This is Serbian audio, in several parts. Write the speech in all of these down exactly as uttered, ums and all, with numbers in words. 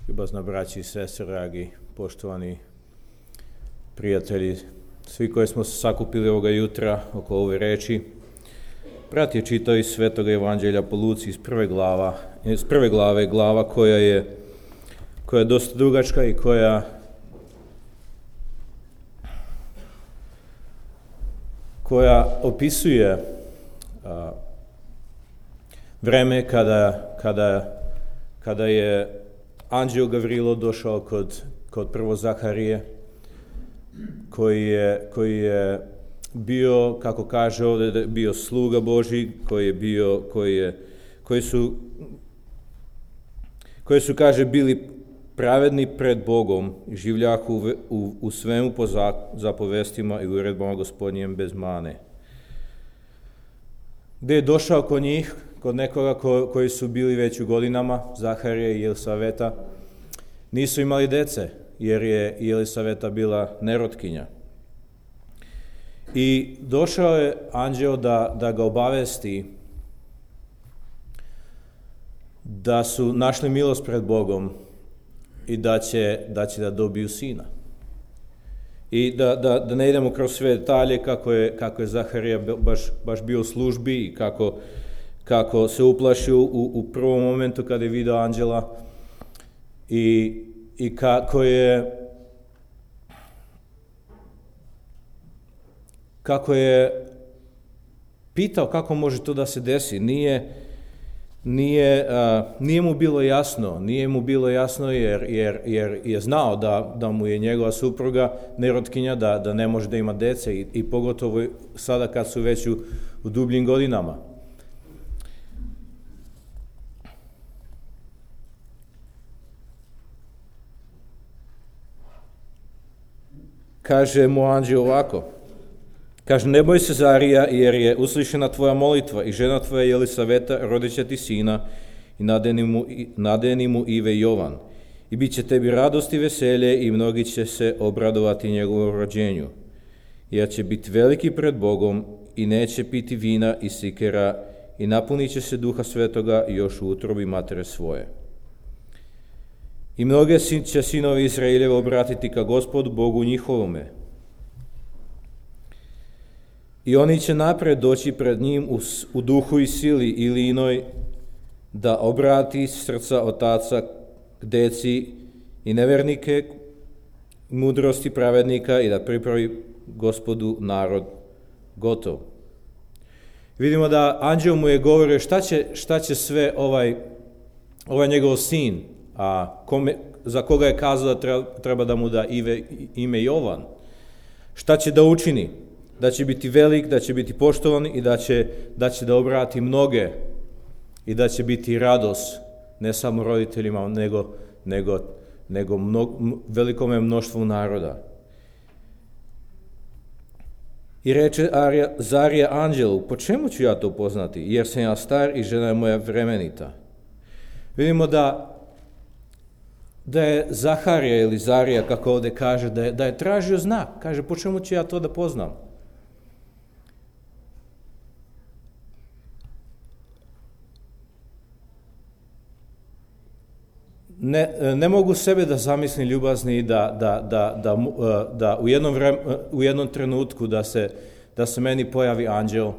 Ljubazna braći i sestre, dragi, poštovani prijatelji, svi koji smo se sakupili ovoga jutra oko ove reči, brat je čitao iz Svetog Evanđelja po Luci iz prve glava, iz prve glave, glava koja je, koja je dosta dugačka i koja koja opisuje a, vreme kada, kada, kada je anđeo Gavrilo došao kod, kod prvo Zaharije, koji je, koji je bio, kako kaže ovdje, bio sluga Božji, koji je bio, koji je, koji su, koji su, kaže, bili pravedni pred Bogom i življahu u, u, u svemu po zapovestima i uredbama Gospodnjem bez mane. Gdje je došao kod njih, kod nekoga ko, koji su bili već u godinama, Zaharije i Jelisaveta, nisu imali dece, jer je Jelisaveta bila nerotkinja. I došao je anđeo da, da ga obavesti da su našli milost pred Bogom i da će da, će da dobiju sina. I da, da, da ne idemo kroz sve detalje kako je, kako je Zaharija baš, baš bio u službi i kako, kako se uplašio u, u prvom momentu kada je vidio anđela i, i kako je kako je pitao kako može to da se desi. Nije, nije, a, nije mu bilo jasno, nije mu bilo jasno jer, jer, jer je znao da, da mu je njegova supruga nerotkinja, da, da ne može da ima dece i, i pogotovo sada kad su već u, u dubljim godinama. Kaže mu anđeo ovako, kaže, ne boj se Zarija, jer je uslišena tvoja molitva i žena tvoja Jelisaveta rodit će ti sina i nadeni mu, nadeni mu ime Jovan. I bit će tebi radost i veselje i mnogi će se obradovati njegovom rođenju. Jer će biti veliki pred Bogom i neće piti vina i sikera i napunit će se Duha Svetoga još u utrobi matere svoje. I mnoge će sinovi Izraeljeva obratiti ka Gospodu Bogu njihovome. I oni će napred doći pred njim u, u duhu i sili ili inoj da obrati srca otaca k deci i nevernike mudrosti pravednika i da pripravi Gospodu narod gotov. Vidimo da anđeo mu je govorio šta će, šta će sve ovaj, ovaj njegov sin, a kome, za koga je kazao da treba, treba da mu da ime, ime Jovan, šta će da učini, da će biti velik, da će biti poštovan i da će da, će da obrati mnoge i da će biti radost ne samo roditeljima, nego, nego, nego mnog, velikome mnoštvu naroda. I reče Arija, Zarija anđelu, po čemu ću ja to poznati, jer sam ja star i žena je moja vremenita. Vidimo da da je Zaharija ili Zarija, kako ovdje kaže, da je, da je tražio znak. Kaže, po čemu ću ja to da poznam? Ne, ne mogu sebe da zamislim ljubazni da, da, da, da, da u, jednom vrem, u jednom trenutku da se, da se meni pojavi anđel,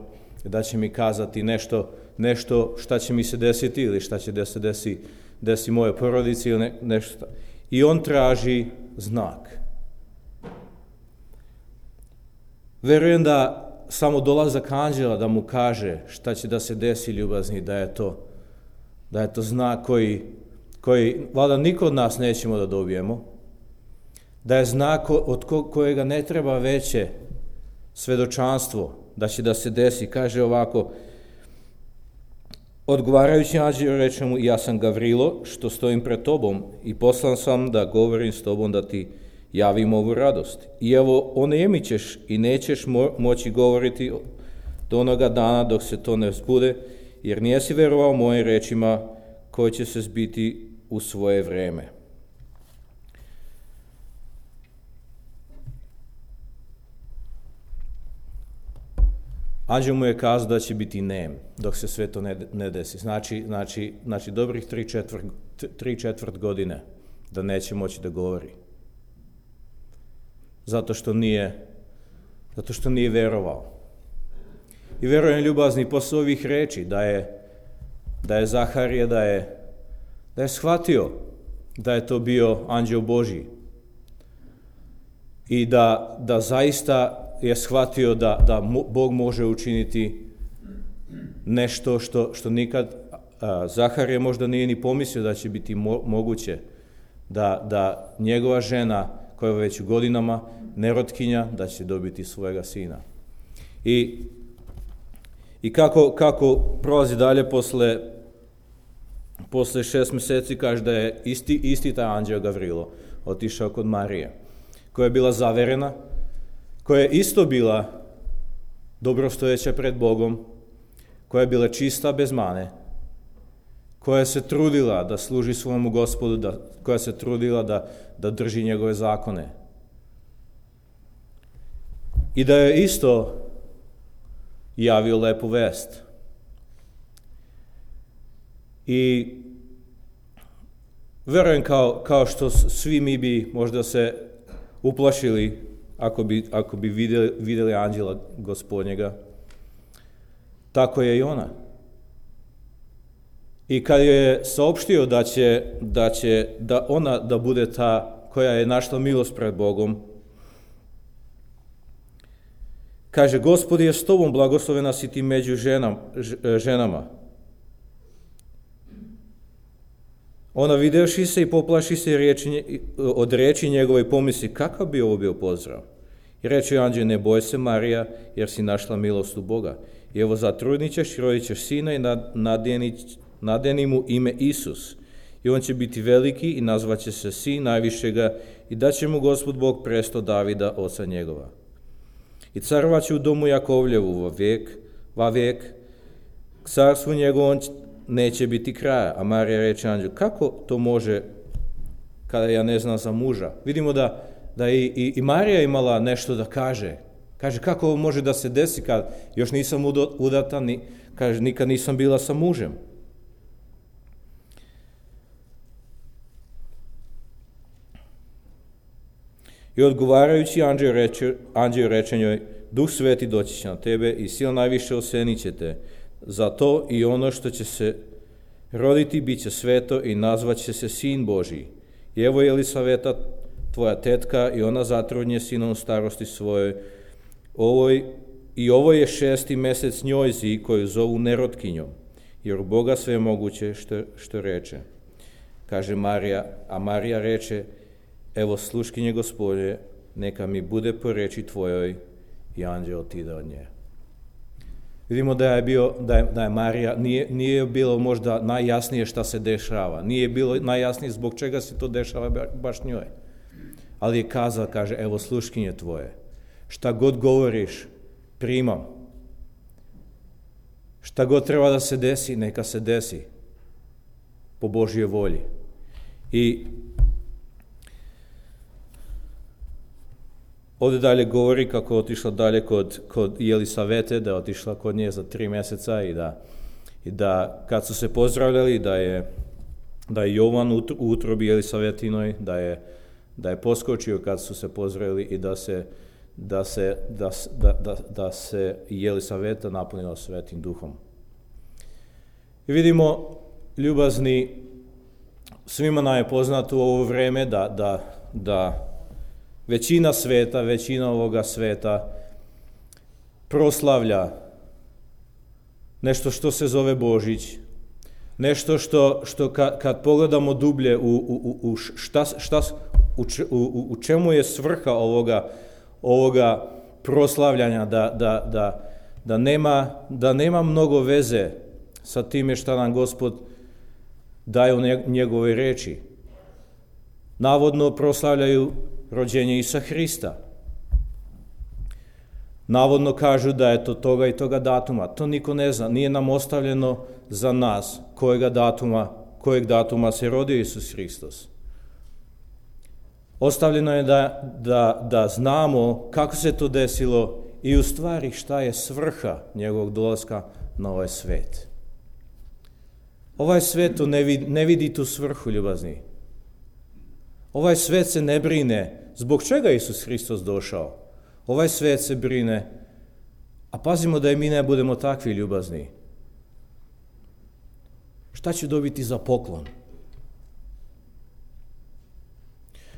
da će mi kazati nešto, nešto šta će mi se desiti ili šta će da se desi desi moje porodici ili ne, nešto. I on traži znak. Verujem da samo dolazak anđela da mu kaže šta će da se desi ljubazni, da je to, da je to znak koji, koji valjda niko od nas nećemo da dobijemo, da je znak od ko, kojega ne treba veće svedočanstvo, da će da se desi. Kaže ovako, odgovarajući anđeo reče mu, ja sam Gavrilo, što stojim pred tobom i poslan sam da govorim s tobom da ti javim ovu radost. I evo, onemi ćeš i nećeš mo- moći govoriti do onoga dana dok se to ne zbude, jer nijesi verovao mojim rečima koji će se zbiti u svoje vreme. Anđel mu je kazao da će biti nem dok se sve to ne, ne desi. Znači, znači, znači dobrih tri četvrt, tri četvrt godine da neće moći da govori. Zato što nije, zato što nije verovao. I verujem, ljubazni, posle ovih reči da je, da je Zaharije, da je, da je shvatio da je to bio anđeo Božji. I da, da zaista je shvatio da, da Bog može učiniti nešto što, što nikad a, Zaharije možda nije ni pomislio da će biti mo, moguće. Da, da njegova žena, koja je već u godinama nerotkinja, da će dobiti svojega sina. I, i kako, kako prolazi dalje posle, posle šest mjeseci, kaže da je isti, isti taj anđeo Gavrilo otišao kod Marije, koja je bila zaverena, koja je isto bila dobrostojeća pred Bogom, koja je bila čista bez mane, koja se trudila da služi svojemu Gospodu, da, koja se trudila da, da drži njegove zakone. I da je isto javio lepu vest. I verujem kao, kao što svi mi bi možda se uplašili ako bi, ako bi vidjeli, vidjeli anđela Gospodnjega, tako je i ona. I kad je saopštio da će, da će da ona da bude ta koja je našla milost pred Bogom, kaže, Gospod je s tobom, blagoslovena si ti među ženam, ženama. Ona videvši se i poplaši se riječi, od riječi njegove i pomisli, kakav bi ovo bio pozdrav? I reče anđeo, ne boj se Marija, jer si našla milost u Boga. I evo zatrudnit ćeš i rodit ćeš sina i nadjeni, nadjeni mu ime Isus. I on će biti veliki i nazvat će se sin najvišega i daće mu Gospod Bog presto Davida, oca njegova. I carovat će u domu Jakovljevu va vijek, va vijek, k carstvu njegovom neće biti kraja. A Marija reče anđelu, kako to može kada ja ne znam za muža? Vidimo da, da i, i, i Marija imala nešto da kaže. Kaže, kako ovo može da se desi kad još nisam udata, ni, kaže, nikad nisam bila sa mužem. I odgovarajući anđeo reče, anđeo reče njoj, Duh Sveti doći će na tebe i sila najviše osenit će te. Zato i ono što će se roditi bit će sveto i nazvat će se Sin Božji. I evo je Elisaveta, tvoja tetka, i ona zatrudnje sinom u starosti svojoj. Ovoj, I ovo je šesti mjesec njojzi koju zovu nerotkinjom, jer u Boga sve je moguće što, što reče. Kaže Marija, a Marija reče, evo sluškinje Gospodje, neka mi bude po reči tvojoj, i anđeo otide od nje. Vidimo da je, bio, da je, da je Marija, nije, nije bilo možda najjasnije šta se dešava, nije bilo najjasnije zbog čega se to dešava baš njoj. Ali je kazala, kaže, evo sluškinje tvoje, šta god govoriš, primam. Šta god treba da se desi, neka se desi po Božjoj volji. I ovdje dalje govori kako je otišla dalje kod, kod Elisavete, da je otišla kod nje za tri mjeseca i da, i da kad su se pozdravljali, da je, da je Jovan u utrobi Elisavetinoj, da je, da je poskočio kad su se pozdravili i da se, da se, da, da, da, da se Elisaveta napunila Svetim Duhom. I vidimo, ljubazni, svima nam je poznato u ovo vreme da, da, da većina sveta, većina ovoga sveta proslavlja nešto što se zove Božić, nešto što, što kad, kad pogledamo dublje u, u, u, šta, šta, u, u, u čemu je svrha ovoga, ovoga proslavljanja, da, da, da, da, nema, da nema mnogo veze sa time šta nam Gospod daje u njegovoj reči. Navodno proslavljaju rođenje Isa Hrista. Navodno kažu da je to toga i toga datuma. To niko ne zna. Nije nam ostavljeno za nas kojega datuma, kojeg datuma se rodio Isus Hristos. Ostavljeno je da, da, da znamo kako se to desilo i u stvari šta je svrha njegovog dolaska na ovaj svet. Ovaj svet ne vidi, ne vidi tu svrhu, ljubazni. Ovaj svet se ne brine. Zbog čega je Isus Hristos došao? Ovaj svet se brine, a pazimo da i mi ne budemo takvi ljubazni. Šta ću dobiti za poklon?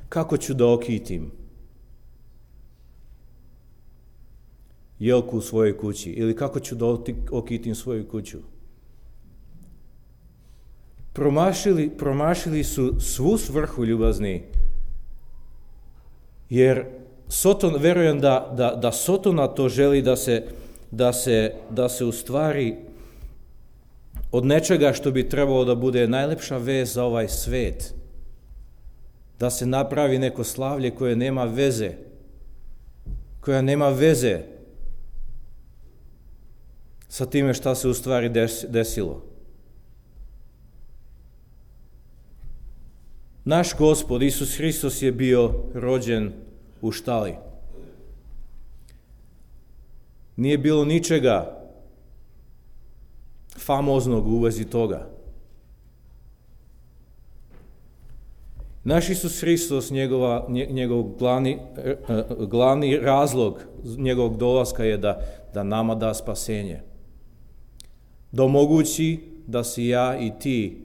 Kako ću da okitim jelku u svojoj kući? Ili kako ću da okitim svoju kuću? Promašili, promašili su svu svrhu ljubazni, jer Soton, verujem da, da, da Sotona to želi da se, da se, da se u stvari od nečega što bi trebalo da bude najlepša vez za ovaj svet, da se napravi neko slavlje koje nema veze, koja nema veze sa time šta se u stvari desilo. Naš Gospod Isus Hristos je bio rođen u štali. Nije bilo ničega famoznog u vezi toga. Naš Isus Hristos, njegova, njegov glavni, glavni razlog njegovog dolaska je da, da nama da spasenje. Da omogući da si ja i ti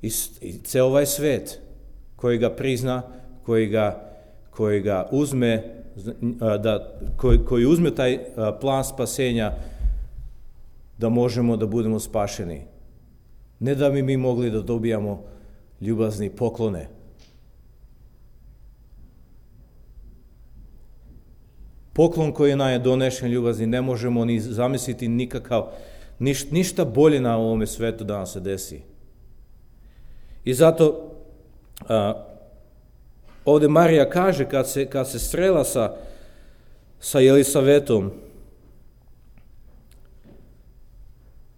i, i ceo ovaj svet koji ga prizna, koji ga, koji ga uzme, da, koji, koji uzme taj plan spasenja, da možemo da budemo spašeni. Ne da bi mi mogli da dobijamo ljubazni poklone. Poklon koji nam je donešen ljubazni ne možemo ni zamisliti nikakav, niš, ništa bolje na ovome svetu da nam se desi. I zato a, ovdje Marija kaže kad se, kad se srela sa, sa Elisavetom,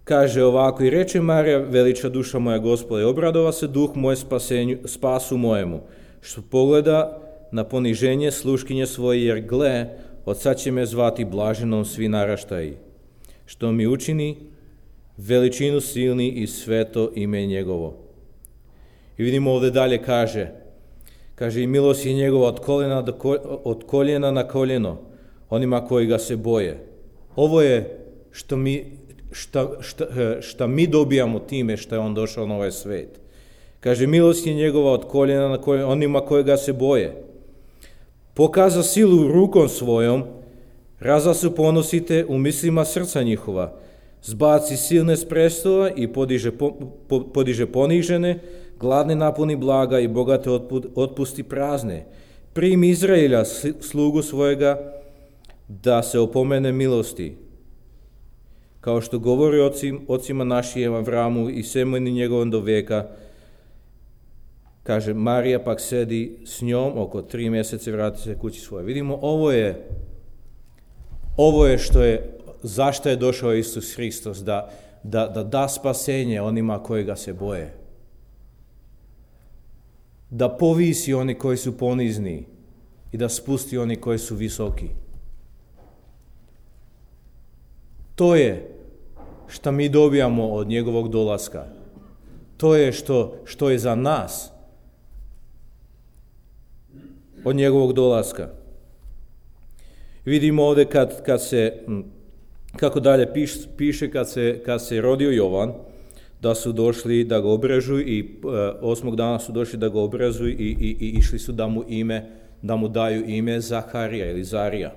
kaže ovako, i reče Marija, veliča duša moja Gospoda, i obradova se duh moj spasenju, spasu mojemu, što pogleda na poniženje sluškinje svoje, jer gle, od sad će me zvati blaženom svi naraštaji, što mi učini veličinu silni i sveto ime njegovo. I vidimo ovdje dalje kaže, kaže i milost je njegova od koljena, do ko, od koljena na koljeno, onima koji ga se boje. Ovo je što mi, šta, šta, šta mi dobijamo time što je on došao na ovaj svet. Kaže, milost je njegova od koljena na koljeno, onima koji ga se boje. Pokaza silu rukom svojom, raza se ponosite u mislima srca njihova, zbaci silne s prestola i podiže, po, po, podiže ponižene, gladne napuni blaga i bogate otpusti prazne. Primi Izraelja, slugu svojega, da se opomene milosti. Kao što govori ocim, ocima našim Avramu i semeni njegovom do veka, kaže, Marija pak sedi s njom, oko tri mjesece vrati se kući svoje. Vidimo, ovo je, ovo je što je, zašto je došao Isus Hristos, da da, da da spasenje onima koji ga se boje. Da povisi oni koji su ponizni i da spusti oni koji su visoki. To je što mi dobijamo od njegovog dolaska. To je što, što je za nas od njegovog dolaska. Vidimo ovdje kad, kad se, kako dalje piš, piše kad se, kad se rodio Jovan, da su došli da ga obrežu i e, osmog dana su došli da ga obrežu i, i, i išli su da mu ime, da mu daju ime Zaharija ili Zarija.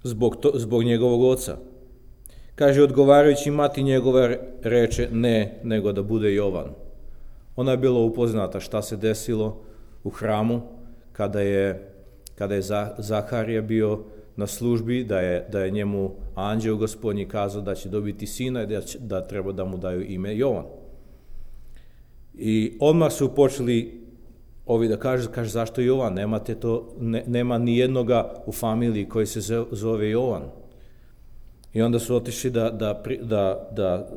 Zbog, to, zbog njegovog oca. Kaže, odgovarajući mati njegova reče ne, nego da bude Jovan. Ona je bila upoznata šta se desilo u hramu kada je, kada je Zaharija bio na službi, da je, da je njemu anđeo Gospodnji kazao da će dobiti sina i da, će, da treba da mu daju ime Jovan. I odmah su počeli ovi da kaže, kaže zašto Jovan, nemate to, ne, nema ni jednoga u familiji koji se zove Jovan. I onda su otišli da, da, da, da,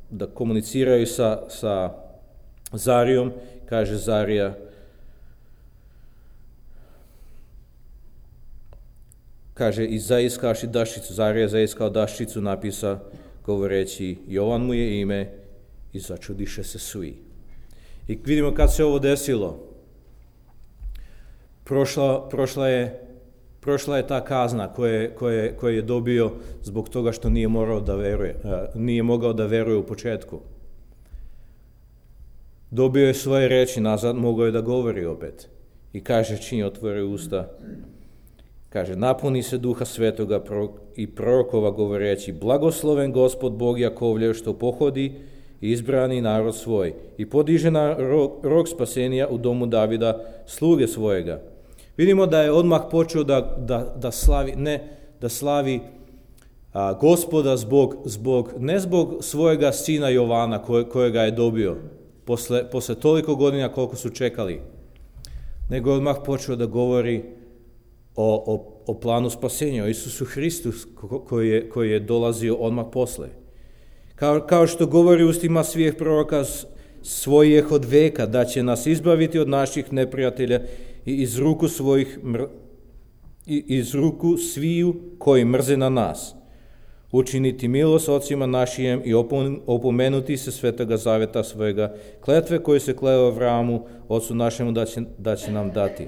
da komuniciraju sa, sa Zarijom, kaže Zarija, kaže, i zaiskavši daščicu, Zarija zaiskao daščicu, napisa govoreći, Jovan mu je ime, i začudiše se svi. I vidimo kad se ovo desilo. Prošla, prošla, je, prošla je ta kazna koje, koje, koje je dobio zbog toga što nije, morao da veruje, nije mogao da veruje u početku. Dobio je svoje reči nazad, mogao je da govori opet. I kaže, čim otvori usta, kaže, napuni se Duha Svetoga i prorokova govoreći, blagosloven Gospod Bog Jakovljev što pohodi i izbrani narod svoj i podiže na rog, rog spasenja u domu Davida sluge svojega. Vidimo da je odmah počeo da, da, da slavi, ne da slavi a, Gospoda zbog, zbog, ne zbog svojega sina Jovana koje, kojega je dobio posle, posle toliko godina koliko su čekali, nego je odmah počeo da govori o, o, o planu spasenja, o Isusu Hristu koji je, koji je dolazio odmah posle. Kao, kao što govori ustima svih proroka svojih od veka, da će nas izbaviti od naših neprijatelja i iz ruku svojih mr, i iz ruku sviju koji mrze na nas, učiniti milost ocima našijem i opomenuti se Svetoga zaveta svojega, kletve koje se kleo Avramu, ocu našemu, da će, da će nam dati,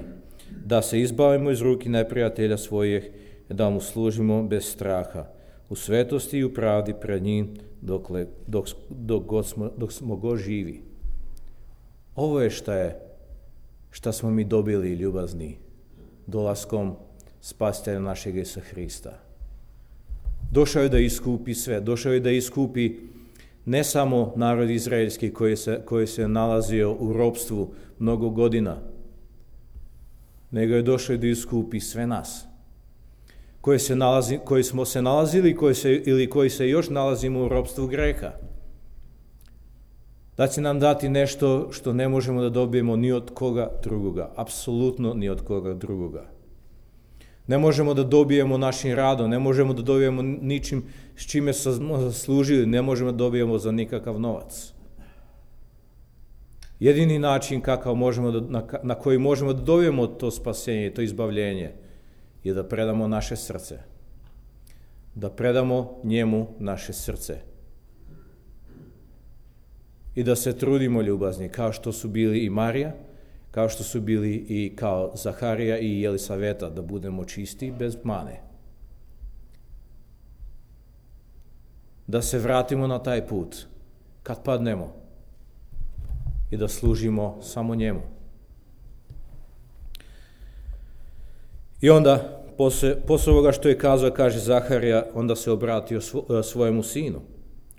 da se izbavimo iz ruki neprijatelja svojih i da mu služimo bez straha, u svetosti i u pravdi pred njim, dokle, dok, dok, god smo, dok smo god živi. Ovo je šta je, šta smo mi dobili, ljubazni, dolaskom Spasitelja našeg Isusa Hrista. Došao je da iskupi sve, došao je da iskupi ne samo narod izraelski koji se, koji se nalazio u ropstvu mnogo godina, nego je došao da iskupi sve nas, koji, se nalazi, koji smo se nalazili koji se, ili koji se još nalazimo u ropstvu greha. Da će nam dati nešto što ne možemo da dobijemo ni od koga drugoga, apsolutno ni od koga drugoga. Ne možemo da dobijemo našim radom, ne možemo da dobijemo ničim s čime smo zaslužili, ne možemo da dobijemo za nikakav novac. Jedini način kakav možemo da, na, na koji možemo da dobijemo to spasenje, to izbavljenje, je da predamo naše srce. Da predamo njemu naše srce. I da se trudimo, ljubazni, kao što su bili i Marija, kao što su bili i kao Zaharija i Jelisaveta, da budemo čisti bez mane. Da se vratimo na taj put, kad padnemo, i da služimo samo njemu. I onda, posle, posle ovoga što je kazao, kaže Zaharija, onda se obratio svo, svojemu sinu.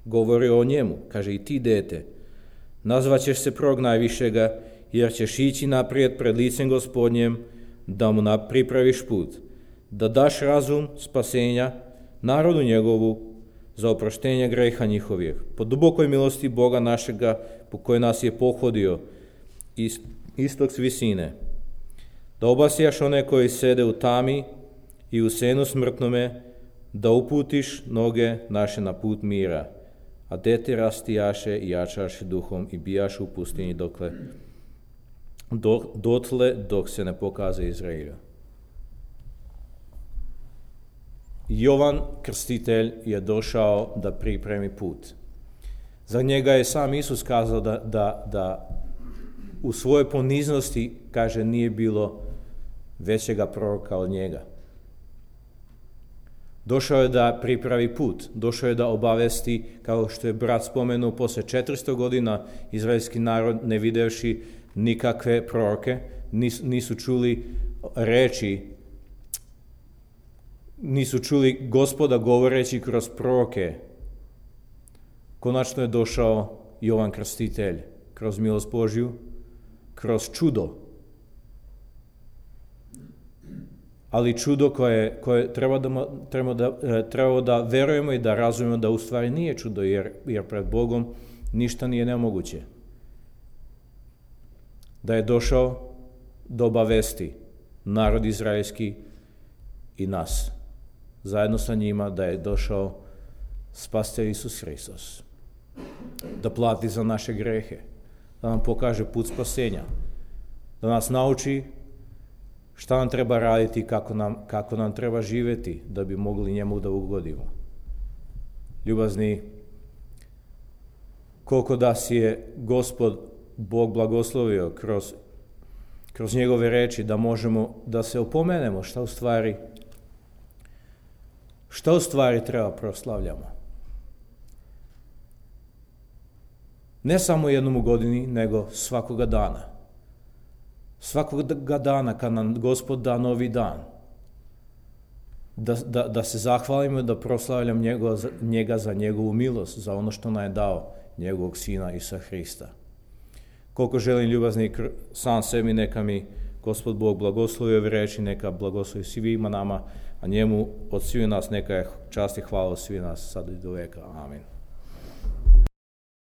Govori o njemu, kaže, i ti, dete, nazvaćeš se prorok najvišega, jer ćeš ići naprijed pred licem Gospodnjem, da mu pripraviš put, da daš razum spasenja narodu njegovu za oproštenje greha njihovih, po dubokoj milosti Boga našega, po kojoj nas je pohodio iz istok s visine, da obasjaš one koji sede u tami i u senu smrtnome, da uputiš noge naše na put mira, a dete rastijaše i jačaše duhom i bijaš u pustinji dokle Do, dotle dok se ne pokaže Izraela. Jovan Krstitelj je došao da pripremi put. Za njega je sam Isus kazao da, da, da u svojoj poniznosti, kaže, nije bilo većega proroka od njega. Došao je da pripravi put, došao je da obavesti, kao što je brat spomenuo, posle četiristo godina izraelski narod, ne videvši nikakve proroke, nis, nisu čuli reči, nisu čuli Gospoda govoreći kroz proroke. Konačno je došao Jovan Krstitelj, kroz milost Božju, kroz čudo. Ali čudo koje, koje treba, da, treba, da, treba da verujemo i da razumemo da u stvari nije čudo, jer, jer pred Bogom ništa nije nemoguće. Da je došao da obavesti narod izraelski i nas. Zajedno sa njima da je došao Spasitelj Isus Hristos. Da plati za naše grehe. Da nam pokaže put spasenja. Da nas nauči šta nam treba raditi, kako nam, kako nam treba živjeti da bi mogli njemu da ugodimo. Ljubazni, koliko da si je Gospod Bog blagoslovio kroz, kroz njegove reči da možemo da se opomenemo šta u stvari, šta u stvari treba proslavljamo. Ne samo jednom u godini, nego svakoga dana. Svakoga dana kad nam Gospod da novi dan. Da, da, da se zahvalimo, da proslavljam njega, njega za njegovu milost, za ono što nam je dao njegovog Sina Isusa Hrista. Koliko želim ljubazni sam sebi, neka mi Gospod Bog blagoslovi ove reči, neka blagoslovi svima nama, a njemu od svih nas neka je čast i hvala od svih nas sad i do veka. Amin.